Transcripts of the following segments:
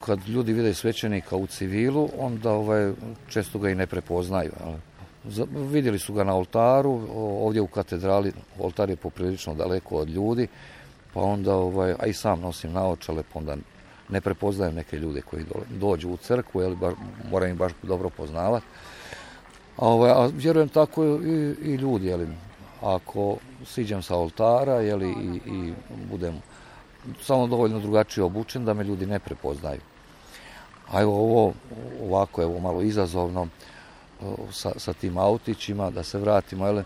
kad ljudi vide svećenika u civilu, onda često ga i ne prepoznaju. Vidjeli su ga na oltaru, ovdje u katedrali, oltar je poprilično daleko od ljudi, pa onda, a i sam nosim naočale, pa onda ne prepoznajem neke ljude koji dođu u crkvu, moram ih baš dobro poznavati. A vjerujem tako i ljudi, ako siđem sa oltara, i budem samo dovoljno drugačije obučen da me ljudi ne prepoznaju. A ovo ovako, malo izazovno, sa tim autićima, da se vratimo,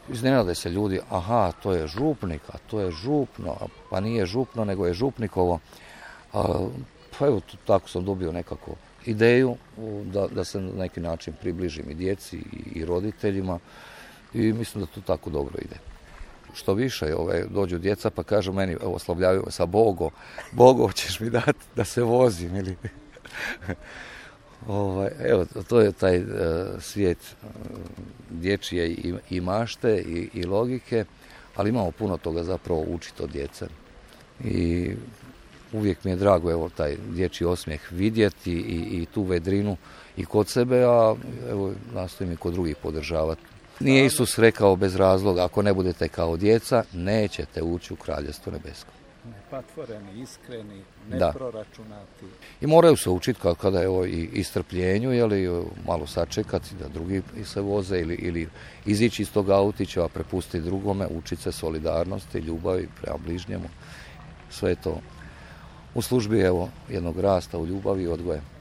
iznenade se ljudi, aha, to je župnik, a to je župno, pa nije župno, nego je župnikovo. Pa tako sam dobio nekako ideju da se na neki način približim i djeci i roditeljima i mislim da to tako dobro ide. Što više, dođu djeca pa kažu meni, oslavljaju sa Bogo ćeš mi dati da se vozim ili... to je taj svijet dječje i mašte i logike, ali imamo puno toga zapravo učiti od djece. I uvijek mi je drago taj dječji osmijeh vidjeti i tu vedrinu i kod sebe, a nastojim i kod drugih podržavati. Nije Isus rekao bez razloga, ako ne budete kao djeca, nećete ući u Kraljevstvo nebesko. Nepatvoreni, iskreni, neproračunati. I moraju se učiti kada i strpljenju, malo sačekati da drugi se voze ili izići iz tog autića, a prepustiti drugome, učiti se solidarnosti, ljubavi prema bližnjemu. Sve je to u službi jednog rasta u ljubavi i odgoja.